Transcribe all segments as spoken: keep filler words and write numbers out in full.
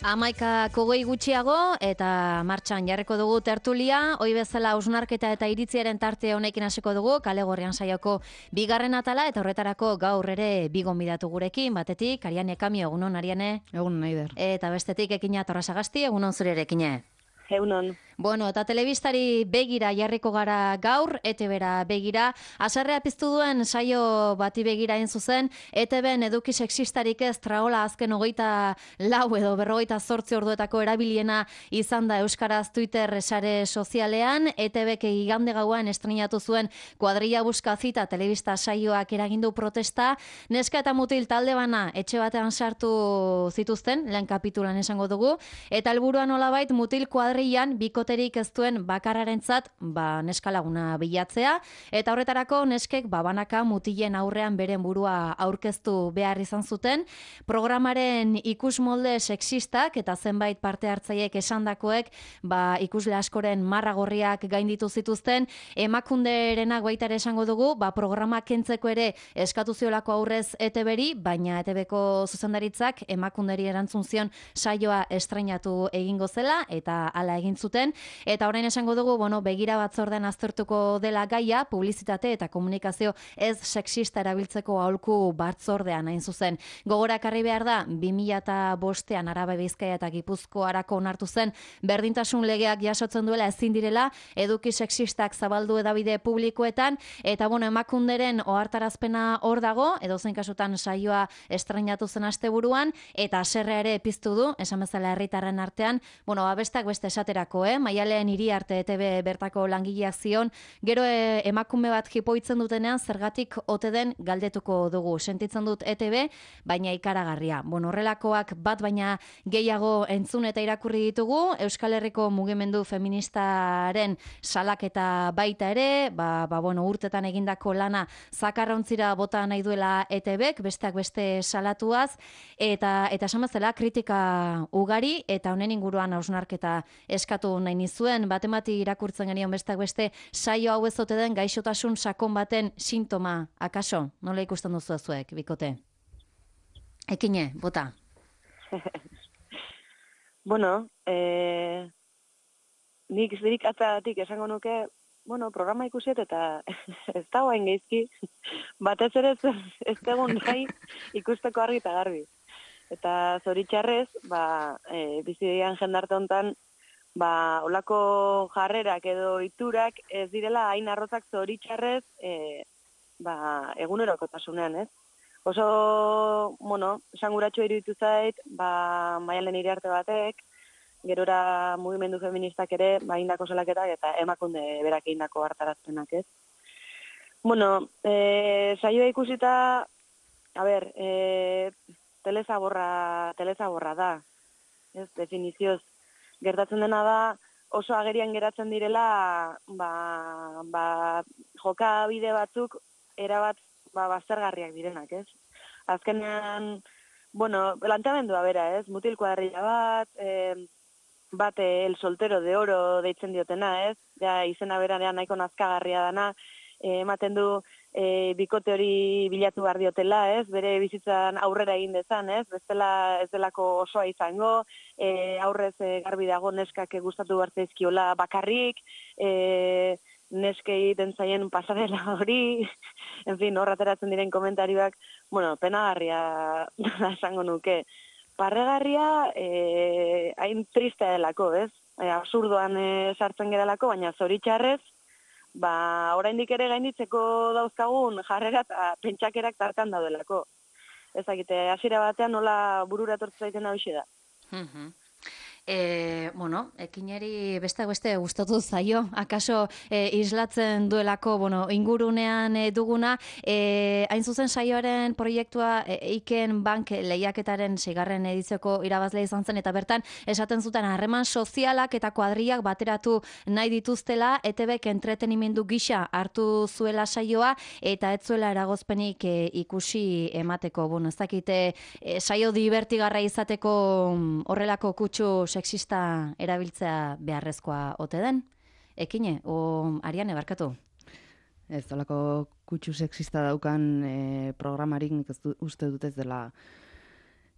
Hamaika kogoi gutxiago eta martxan jarriko dugu tertulia, hoi bezala hausnarketa eta iritziaren tarte honekin hasiko dugu, Kale Gorrian saioko bigarren atala eta horretarako gaur ere bi gonbidatu gurekin, batetik Ariane Kamio, egunon Ariane. Egunon Naider. Eta bestetik Ekina Torrasagasti, egunon zure ere Ekine. Egunon. Bueno, eta telebistari begira jarriko gara gaur, E T B-ra begira. Haserrea piztu duen saio bati begira egin zuzen, E T B-en eduki sexistarik ez traola azken hogeita lau edo berrogeita zortzi orduetako erabiliena izan da Euskaraz Twitter sare sozialean. E T B-k igande gauan estrenatu zuen Kuadrilla Buska Zita telebista saioak eragindu protesta. Neska eta mutil talde bana etxe batean sartu zituzten, lehen kapitulan esango dugu, eta helburua nolabait mutil kuadrillan bikoterik ez duen bakarrarentzat ba, neska laguna bilatzea, eta horretarako neskek babanaka mutilen aurrean beren burua aurkeztu behar izan zuten. Programaren ikusmolde sexistak eta zenbait parte hartzaileek esandakoek ba, ikusle askoren marra gorriak gainditu zituzten. Emakunderenak baita ere esango dugu, ba, programa kentzeko ere eskatu ziolako aurrez E T B-ri, baina E T B-ko zuzendaritzak emakunderi erantzun zion saioa estreinatu egingo zela, eta hala egin zuten, eta orain esango dugu, bueno, begira batzordean aztertuko dela gaia, publizitate eta komunikazio ez sexista erabiltzeko aholku batzordean hain zuzen. Gogorakarri behar da, bi mila bostean Araba, Bizkaia eta Gipuzkoarako onartu zen berdintasun legeak jasotzen duela ezin direla eduki sexistak zabaldu edabide publikoetan, eta bueno, emakunderen ohartarazpena hor dago, edozein kasutan saioa estreinatu zen asteburuan, eta haserrea ere piztu du, esan bezala herritarren artean, bueno, abestak beste esaterako, eh? Maialen hiri arte E T B bertako langileak zion, gero e, emakume bat jipoitzen dutenean zergatik ote den galdetuko dugu. Sentitzen dut E T B, baina ikaragarria. Bueno, horrelakoak bat baina gehiago entzun eta irakurri ditugu, Euskal Herriko mugimendu feministaren salaketa baita ere, ba, ba bueno, urtetan egindako lana zakarrauntzira bota nahi duela E T Bek, besteak beste salatuaz, eta eta esan bezala kritika ugari, eta honen inguruan hausnarketa eskatu nahi nizuen, batemati irakurtzen genion besteak beste saio hau ez ote den gaixotasun sakon baten sintoma, akaso? Nola ikusten duzu zuek, bikote? Ekine, bota. Bueno, eh, nik zirik atzatik esango nuke, bueno, programa ikusiet eta ez da guain geizki, batez ere ez, ez egun nahi ikusteko argi eta garbi. Eta zoritxarrez, ba, e, bizidean jendarte hontan, ba, olako jarrerak edo iturak ez direla hain arrotzak zoritxarrez e, ba, egunerokotasunean, ez? Oso, bueno, esanguratxo iruditu zait, ba, Maialen Iriarte batek, gerora mugimendu feministak ere, ba, indako salaketak eta emakunde berak indako hartarazpenak, ez? Bueno, e, saioa ikusita, a ber, e, telezaborra, telezaborra da, ez, definizioz. Gertatzen dena da, oso agerian geratzen direla, ba, ba, jokabide batzuk erabat ba, baztergarriak direnak, ez? Azkenean, bueno, planteamendua bera, ez? Mutil kuadrilla bat, e, bat el soltero de oro deitzen diotena, ez? Ja, izena beranean nahiko nazkagarria dana, e, ematen du e, bikote hori bilatu behar diotela, ez? Bere bizitzan aurrera egin dezan, ez? Bestela ez delako osoa izango, e, aurrez e, garbi dago neskak gustatu behar zaizkiola bakarrik, e, neskei den zaien pasarela hori, en fin, hor ateratzen diren komentarioak, bueno, penagarria esango nuke. Parregarria, e, hain tristea delako, ez? E, absurdoan e, sartzen geralako, baina zoritxarrez, ba, oraindik ere gainditzeko dauzkagun jarrera eta pentsakerak tartan daudelako. Ezagite, hasiera batean nola burura etortzen zaiten hau da. Mhm. E, bueno, ekineri beste beste gustatu zaio, akaso e, islatzen duelako, bueno, ingurunean e, duguna, e, hain zuzen saioaren proiektua e, Eiken Bank lehiaketaren seigarren edizioko irabazle izan zen, eta bertan esaten zuten harreman sozialak eta kuadriak bateratu nahi dituztela, E T Bek entretenimendu gisa hartu zuela saioa, eta ez zuela eragozpenik e, ikusi emateko. Bueno, ez dakite, e, saio divertigarra izateko horrelako kutsu sexista erabiltzea beharrezkoa ote den? Ekine, o Ariane, barkatu? Ez, olako kutsu sexista daukan e, programarik nik ez du, uste dut ez dela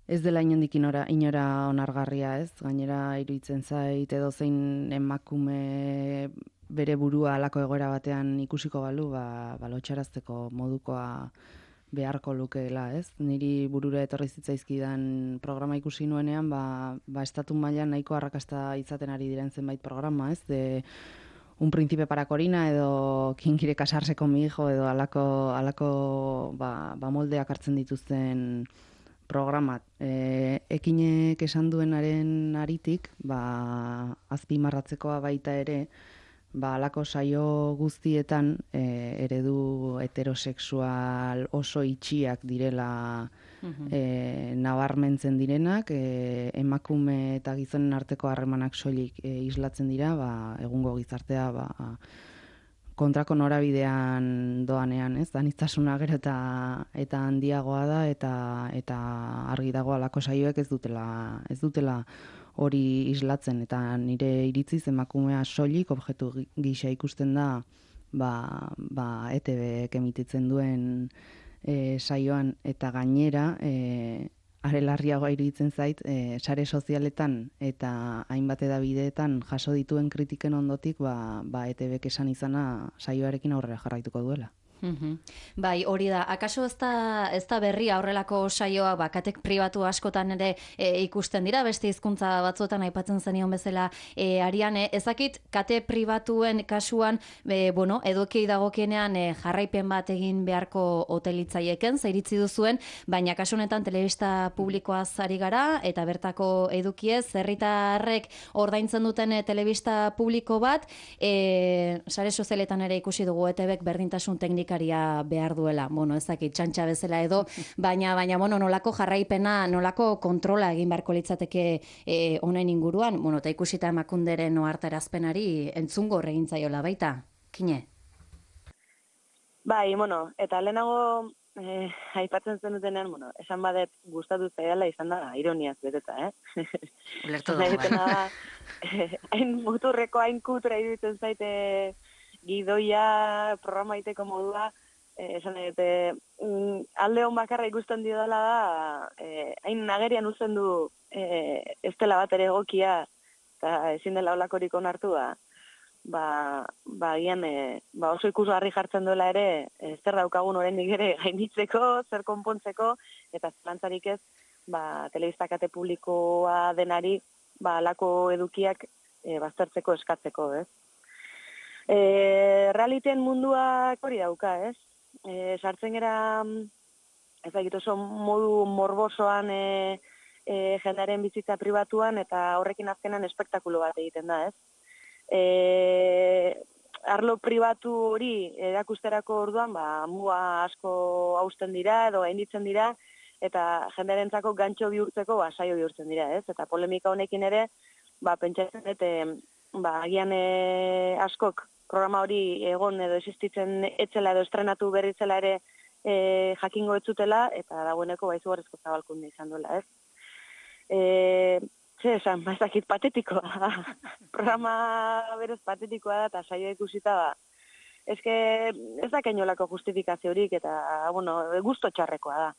ez dela inondik inora, inora onargarria, ez? Gainera iruditzen zait edo zein emakume bere burua halako egoera batean ikusiko balu, ba, ba lotsarazteko modukoa beharko lukeela, ez? Niri burura etorri zitzaizkidan programa ikusi nuenean, ba, ba estatu mailan nahiko arrakasta izaten ari diren zenbait programa, ez? De Un príncipe para Corina edo Quién quiere casarse con mi hijo edo alako, alako ba, ba moldeak hartzen dituzten programat. E, ekinek esan duenaren aritik, ba, azpimarratzekoa baita ere, ba, alako saio guztietan e, eredu heterosexual oso itxiak direla e, nabarmentzen direnak, e, emakume eta gizonen arteko harremanak soilik e, islatzen dira, ba, egungo gizartea ba, kontrako norabidean doanean, ez? Aniztasuna gero eta eta handiagoa da eta eta argi dago halako saioek ez dutela ez dutela hori islatzen, eta nire iritziz emakumea soilik objektu gisa ikusten da ba, ba E T Bek emititzen duen e, saioan, eta gainera e, are larriagoa iruditzen zait, e, sare sozialetan eta hainbat edabideetan jaso dituen kritiken ondotik ba, ba E T Bek esan izana saioarekin aurrera jarraituko duela. Mm-hmm. Bai, hori da. Akaso ez da, ez da berria horrelako saioa, ba, katek pribatu askotan ere e, ikusten dira, beste hizkuntza batzuetan aipatzen zenion bezala e, Ariane, ezakit kate pribatuen kasuan, e, bueno, edukei dagokienean e, jarraipen bat egin beharko hotelitzaieken, zairitzi duzuen, baina kasu honetan telebista publikoaz ari gara, eta bertako edukiez, herritarrek ordaintzen duten e, telebista publiko bat, e, sare sozialetan ere ikusi dugu E T Bek berdintasun teknik behar duela, bueno, ezakit txantxa bezala edo, baina, baina, bueno, nolako jarraipena, nolako kontrola egin beharko litzateke e, honen inguruan, bueno, eta ikusita emakunderen ohartarazpenari entzungo egin zaiola baita, Kine? Bai, bueno, eta lehenago eh, aipatzen zen dutenean, bueno, esan badet gustatu zaidala izan da ironiaz beteta, eh? Ulertu dugu, bai. Hain muturreko, hain kutura iruditzen zaite gidoia programa iteko modua, eh, esan edete, mm, alde hon bakarra ikusten dio dela da, eh, hain nagerian uzten du eh, ez dela bat ere egokia, eta ezin dela olakorik onartu da, ba, ba, gian, eh, ba oso ikusgarri jartzen duela ere, eh, zer daukagun oraindik ere gainditzeko, zer konpontzeko, eta zalantzarik ez, ba, telebista kate publikoa denari, ba, alako edukiak eh, baztertzeko eskatzeko, ez? E, realiten munduak hori dauka, ez? E, sartzen gara, ez dakit oso modu morbosoan e, e, jendearen bizitza pribatuan, eta horrekin azkenan espektakulo bat egiten da, ez? E, arlo pribatu hori erakusterako orduan, ba, muga asko hausten dira, edo gainditzen dira, eta jendearentzako gantxo bihurtzeko ba, saio bihurtzen dira, ez? Eta polemika honekin ere, ba, pentsatzen dut, ba, agian e, askok programa hori egon edo existitzen etzela edo estrenatu berritzela ere e, jakingo etzutela, eta dagoeneko baizugarrizko zabalkunde izan duela, ez? E, ze esan, ba, ez dakit patetikoa. Programa berez patetikoa da, eta saioa ikusita da. Ez que ez da kainolako justifikaziorik, eta, bueno, gusto txarrekoa da.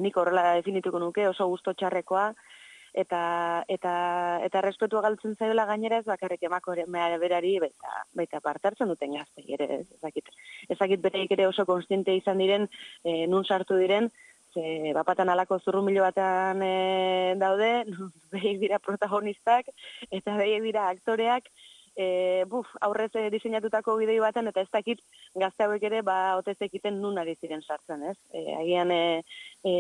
Nik horrela definituko nuke, oso gusto txarrekoa, eta eta eta respetua galtzen zaiola gainera ez bakarrik emakumea berari baita baita parte hartzen duten gaztei ere, ez dakit. Ez dakit bereik ere oso kontziente izan diren, e, nun sartu diren, ze bapatan alako zurrumilo batean e, daude, behiek dira protagonistak eta behiek dira aktoreak, e, buf, aurrez e, diseinatutako bidei baten, eta ez dakit gazte hauek ere ba otez ekiten nun ari ziren sartzen, ez? E, agian e, e,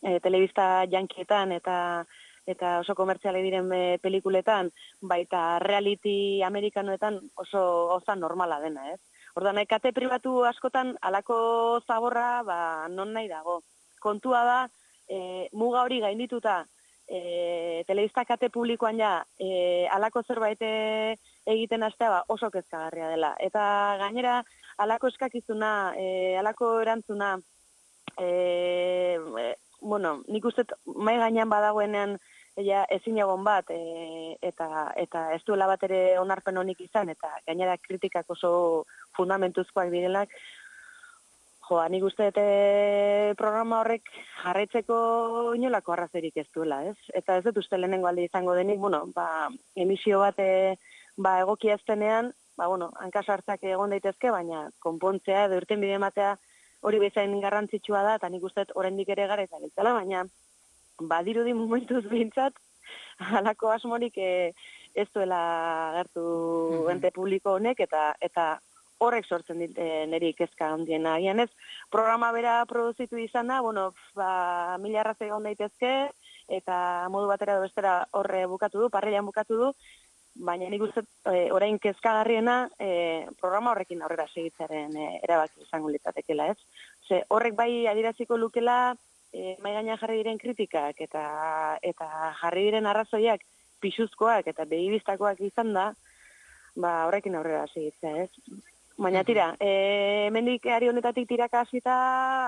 e, telebista jankietan eta eta oso komertziale diren e, pelikuletan, baita reality amerikanoetan oso oza normala dena, ez? Orduan, kate pribatu askotan alako zaborra, ba, non nahi dago. Kontua da, e, muga hori gaindituta, e, telebista kate publikoan ja, e, alako zerbait egiten hastea ba, oso kezkagarria dela. Eta gainera, alako eskakizuna, e, alako erantzuna, e, e, bueno, nik uste mai gainean badagoenean ja, ezin egon bat, e, eta, eta ez duela bat ere onarpen honik izan, eta gainera kritikak oso fundamentuzkoak direnak, Jo, nik uste dute programa horrek jarraitzeko inolako arrazoirik ez duela, ez? Eta ez dut uste lehenengo alde izango denik, bueno, ba, emisio bat e, ba, egokia eztenean, ba, bueno, hankasartzak egon daitezke, baina konpontzea edo irten bide ematea hori bezain garrantzitsua da, eta nik uste dut oraindik ere gara eta giltzala, baina badirudi momentuz behintzat, halako asmorik e, ez duela gertu mm-hmm. ente publiko honek, eta eta horrek sortzen dit e, niri kezka handiena. Agian ez, programa bera produzitu izana, bueno, ba, mila arrazoi egon daitezke, eta modu batera edo bestera horre bukatu du, parreian bukatu du, baina nik uste e, orain kezkagarriena e, programa horrekin aurrera segitzaren e, erabaki izango litzatekeela, ez? Ze horrek bai adieraziko lukela e, mai gainean jarri diren kritikak eta eta jarri diren arrazoiak pisuzkoak eta begibistakoak izan da, ba horrekin aurrera segitzea, ez? Baina tira, e, hemendik ari honetatik tiraka hasita,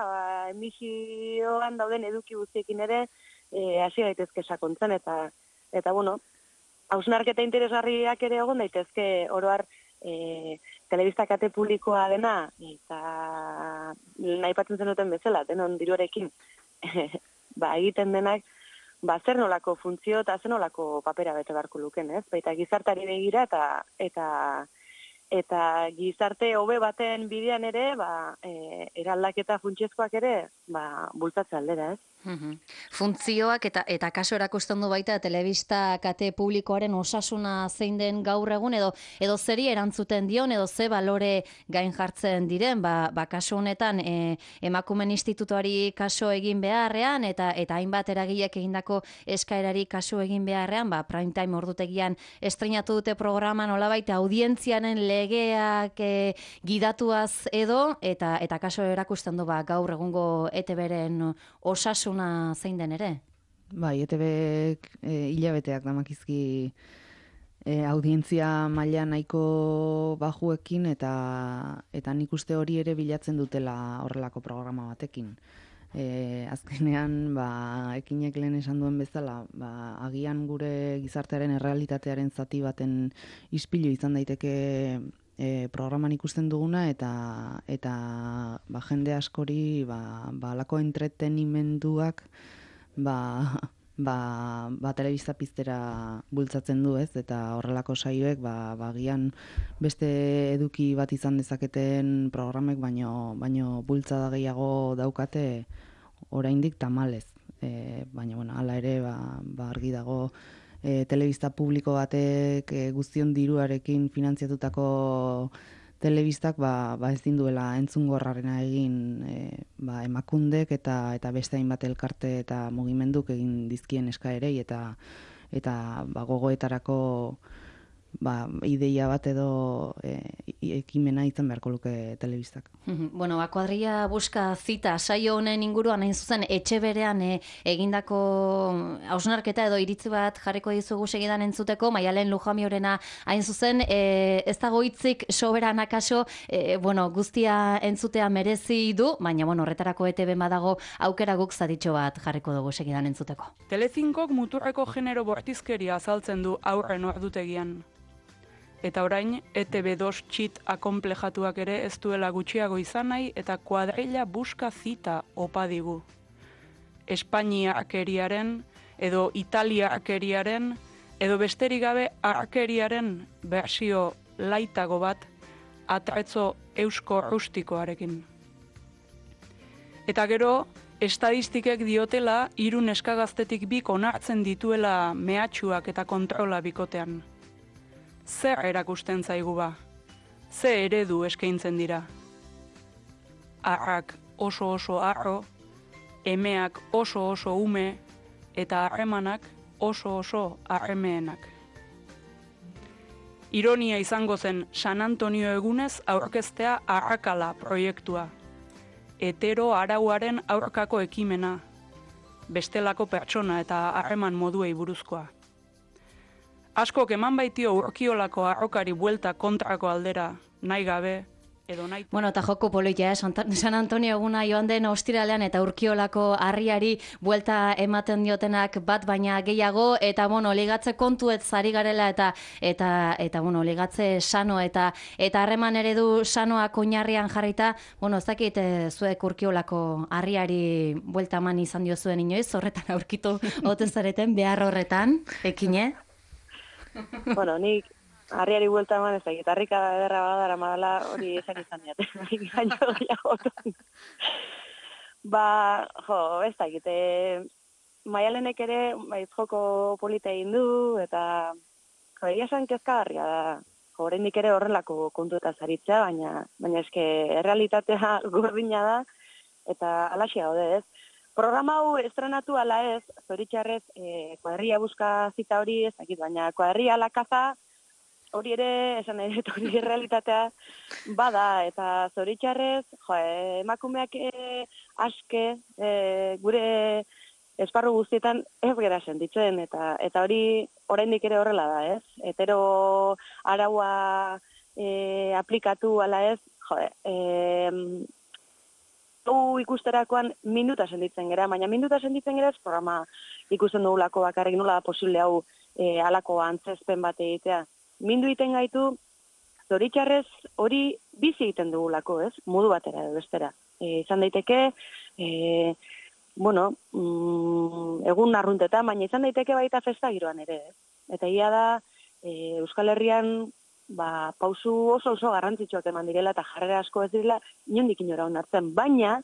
ba, emisioan dauden eduki guztiekin ere e, hasi daitezke sakontzen eta eta bueno, hausnarketa interesgarriak ere egon daitezke oro har e, telebista kate publikoa dena eta nahi patzen zenuten bezala, denon diruarekin ba, egiten denak ba, zer nolako funtzio eta zer nolako papera bete beharko luken, ez? Baita gizartari begira eta eta eta gizarte hobe baten bidean ere, ba, e, eraldaketa funtsezkoak ere, ba, bultzatze aldera, ez? Uhum. Funtzioak eta eta kaso erakusten du baita telebista kate publikoaren osasuna zein den gaur egun edo edo zeri erantzuten dion edo ze balore gain jartzen diren, ba, ba kaso honetan e, emakumen institutuari kaso egin beharrean eta eta hainbat eragilek egindako eskaerari kaso egin beharrean, ba prime time ordutegian estreinatu dute programa nolabait audientziaren legeak e, gidatuaz edo eta eta kaso erakusten du ba gaur egungo E T Bren osasun zein den ere? Bai, E T Bek e, hilabeteak damakizki e, audientzia maila nahiko bajuekin eta eta nik uste hori ere bilatzen dutela horrelako programa batekin. E, azkenean, ba, ekinek lehen esan duen bezala, ba, agian gure gizartearen errealitatearen zati baten ispilu izan daiteke E, programan ikusten duguna eta eta ba, jende askori ba, ba alako entretenimenduak ba, ba, ba telebista piztera bultzatzen du, ez? Eta horrelako saioek ba, ba gian beste eduki bat izan dezaketen programek baino baino bultzada gehiago daukate oraindik tamalez. E, baina bueno, hala ere ba, ba argi dago E, telebista publiko batek e, guztion diruarekin finantziatutako telebistak ba, ba ezin duela entzungorrarena egin e, ba, emakundek eta eta beste hainbat elkarte eta mugimenduk egin dizkien eskaerei eta eta ba, gogoetarako ba, ideia bat edo e, ekimena izan beharko luke telebistak. Bueno, ba, kuadrilla buska zita saio honen inguruan hain zuzen etxe berean e, egindako hausnarketa edo iritzi bat jarriko dizugu segidan entzuteko, Maialen Lujamiorena hain zuzen e, ez dago hitzik soberan akaso e, bueno, guztia entzutea merezi du, baina bueno, horretarako E T B badago aukera guk zaditxo bat jarriko dugu segidan entzuteko. Telecinkok muturreko genero bortizkeria azaltzen du aurren ordutegian. Eta orain, E T B dos txit akonplejatuak ere ez duela gutxiago izan nahi eta kuadrilla buska zita opa digu. Espainiakeriaren edo Italiakeriaren edo besterik gabe arkeriaren bersio laitago bat atretzo eusko rustikoarekin. Eta gero, estadistikek diotela hiru neskagaztetik bik onartzen dituela mehatxuak eta kontrola bikotean. Zer erakusten zaigu ba? Ze eredu eskaintzen dira? Arrak oso oso arro, emeak oso oso ume, eta harremanak oso oso harremeenak. Ironia izango zen San Antonio egunez aurkeztea Arrakala proiektua. Hetero arauaren aurkako ekimena, bestelako pertsona eta harreman moduei buruzkoa. Askok eman baitio urkiolako arrokari buelta kontrako aldera, nahi gabe, edo nahi. Bueno, eta joko politia, eh? San Antonio eguna joan den ostiralean eta Urkiolako harriari buelta ematen diotenak bat baina gehiago, eta bueno, ligatze kontuet zari garela eta eta eta bueno, ligatze sano eta eta harreman eredu sanoak oinarrian jarrita, bueno, ez dakit zuek Urkiolako harriari buelta eman izan diozuen inoiz, horretan aurkitu ote zareten behar horretan, ekine? Bueno, nik harriari buelta eman ez da, gitarrika ederra badara madala hori esan izan diat. Gaino gehiagotan. Ba, jo, ez da, gite, Maialenek ere, baiz joko polita egin du, eta jo, egia esan kezkagarria da. Jo, oraindik ere horrelako kontuetaz aritzea, baina, baina eske errealitatea gordina da, eta alaxi gaude ez. Programa hau estrenatu ala ez, zoritxarrez, eh, kuadria buska zita hori ez dakit, baina kuadria la kaza, hori ere, esan nahi dut, hori realitatea bada, eta zoritxarrez, jo, emakumeak e, aske, e, gure esparru guztietan ez gera sentitzen, eta eta hori oraindik ere horrela da, ez? Hetero araua e, aplikatu ala ez, jo, e, hau ikusterakoan minuta sentitzen gera, baina minuta sentitzen gera ez programa ikusten dugulako bakarrik nola da posible hau e, alako antzezpen bat egitea. Mindu egiten gaitu, zoritxarrez hori bizi egiten dugulako, ez? Modu batera edo bestera. E, izan daiteke, e, bueno, mm, egun arruntetan, baina izan daiteke baita festa giroan ere, ez? Eta ia da, e, Euskal Herrian, ba, pausu oso oso garrantzitsuak eman direla eta jarrera asko ez direla, inondik inora onartzen. Baina,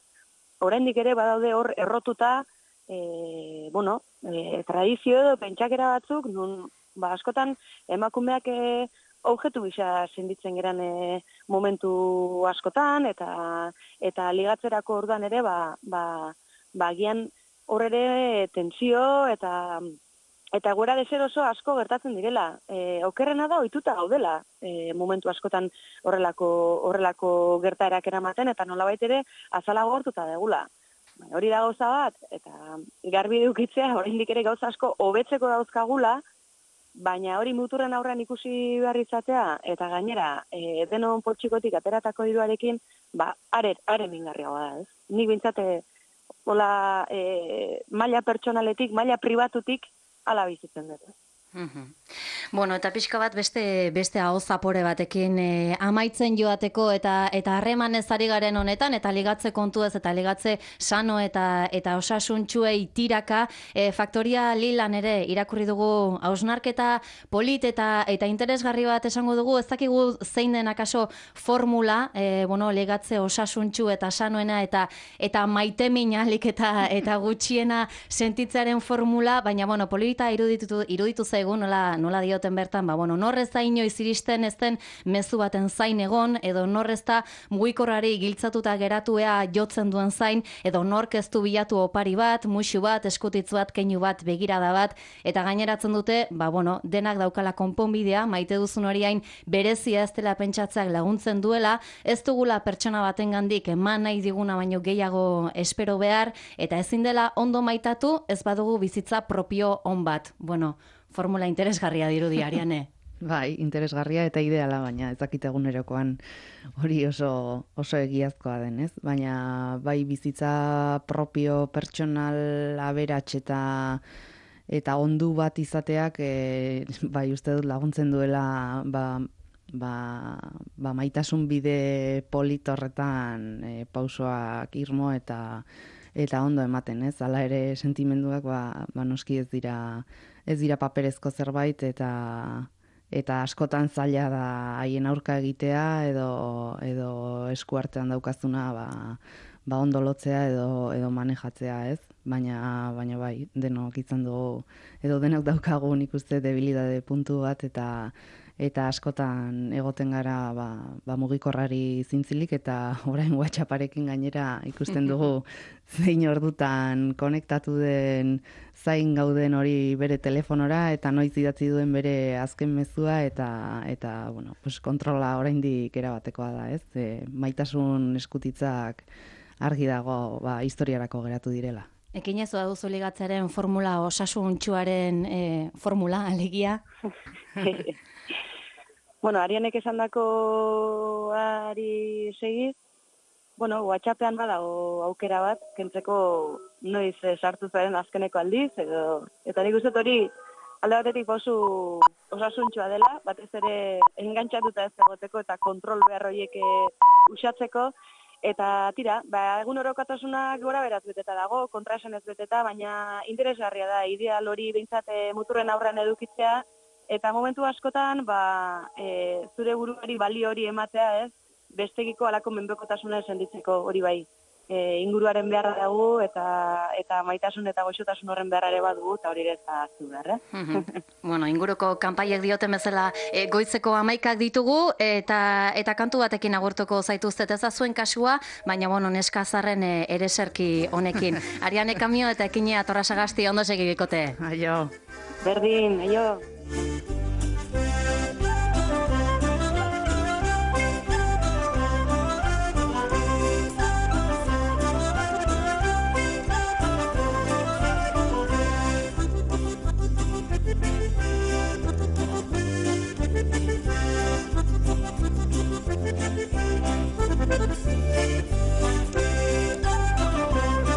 oraindik ere badaude hor errotuta, e, bueno, e, tradizio edo pentsakera batzuk, nun, ba, askotan emakumeak e, objektu gisa senditzen geran e, momentu askotan, eta eta ligatzerako orduan ere, ba, ba, ba agian hor ere tensio eta eta gura deser oso asko gertatzen direla. E, okerrena da ohituta gaudela e, momentu askotan horrelako horrelako gertaerak eramaten, eta nolabait ere azala gortuta degula. Hori da gauza bat, eta garbi edukitzea oraindik ere gauza asko hobetzeko dauzkagula, baina hori muturren aurrean ikusi behar izatea, eta gainera, e, denon poltsikotik ateratako diruarekin, ba, are, are mingarriagoa da, ez? Nik bintzate, hola, e, maila pertsonaletik, maila pribatutik, ala bizitzen dut. Mhm. Bueno, eta pixka bat beste beste aho zapore batekin e, amaitzen joateko eta eta harremanez ari garen honetan, eta ligatze kontuez eta ligatze sano eta eta osasuntsuei tiraka, e, Faktoria Lilan ere irakurri dugu hausnarketa polit eta eta interesgarri bat esango dugu, ez dakigu zein den akaso formula, e, bueno, ligatze osasuntsu eta sanoena eta eta maiteminalik eta eta gutxiena sentitzearen formula, baina bueno, polita iruditu iruditu zaigu nola nola dioten bertan, ba bueno, norrez da inoiz iristen ez den mezu baten zain egon, edo norrez da mugikorrari giltzatuta geratuea jotzen duen zain, edo nork ez du bilatu opari bat, muxu bat, eskutitz bat, keinu bat, begirada bat, eta gaineratzen dute, ba bueno, denak daukala konponbidea, maite duzun hori hain berezia ez dela pentsatzeak laguntzen duela, ez dugula pertsona batengandik eman nahi diguna baino gehiago espero behar, eta ezin dela ondo maitatu, ez badugu bizitza propio on bat. Bueno, formula interesgarria dirudi, Ariane. Bai, interesgarria eta ideala, baina ez dakit egunerokoan hori oso oso egiazkoa den, ez? Baina bai bizitza propio pertsonal aberats eta eta ondu bat izateak e, bai uste dut laguntzen duela ba, ba, ba maitasun bide polit horretan e, pausoak irmo eta eta ondo ematen, ez? Hala ere sentimenduak ba, ba noski ez dira ez dira paperezko zerbait, eta eta askotan zaila da haien aurka egitea edo edo eskuartean daukazuna ba, ba ondo lotzea edo edo manejatzea, ez? Baina baina bai, denok izan dugu edo denok daukagu nik uste debilidade puntu bat, eta eta askotan egoten gara ba, ba mugikorrari zintzilik, eta orain WhatsApparekin gainera ikusten dugu zein ordutan konektatu den zain gauden hori bere telefonora, eta noiz idatzi duen bere azken mezua, eta eta bueno, pues kontrola oraindik erabatekoa da, ez? E, maitasun eskutitzak argi dago ba historiarako geratu direla. Ekin ez duzu ligatzearen formula osasuntsuaren e, formula alegia? Bueno, Arianek esandakoari segiz, bueno, WhatsAppean badago aukera bat, kentzeko noiz eh, sartu zaren azkeneko aldiz, edo, eta nik uste dut hori alde batetik oso osasuntxoa dela, batez ere engantxatuta ez egoteko eta kontrol behar horiek eh, usatzeko, eta tira, ba, egun orokatasunak gora beraz beteta dago, kontraesan ez beteta, baina interesgarria da, ideal hori behintzat eh, muturren aurrean edukitzea, eta momentu askotan, ba, e, zure buruari balio hori ematea, ez, bestegiko alako menpekotasuna senditzeko hori bai. E, inguruaren beharra dugu eta eta maitasun eta goxotasun horren beharra ere badugu eta hori ere ez da aztu behar, eh? Bueno, inguruko kanpaiek dioten bezala e, goizeko amaikak ditugu eta eta kantu batekin agurtuko zaituztet ez da zuen kasua, baina bueno, neskazarren e, ereserki honekin. Ariane Kamio eta Ekinea Torrasagasti ondo segi bikote. Aio. Berdin, aio.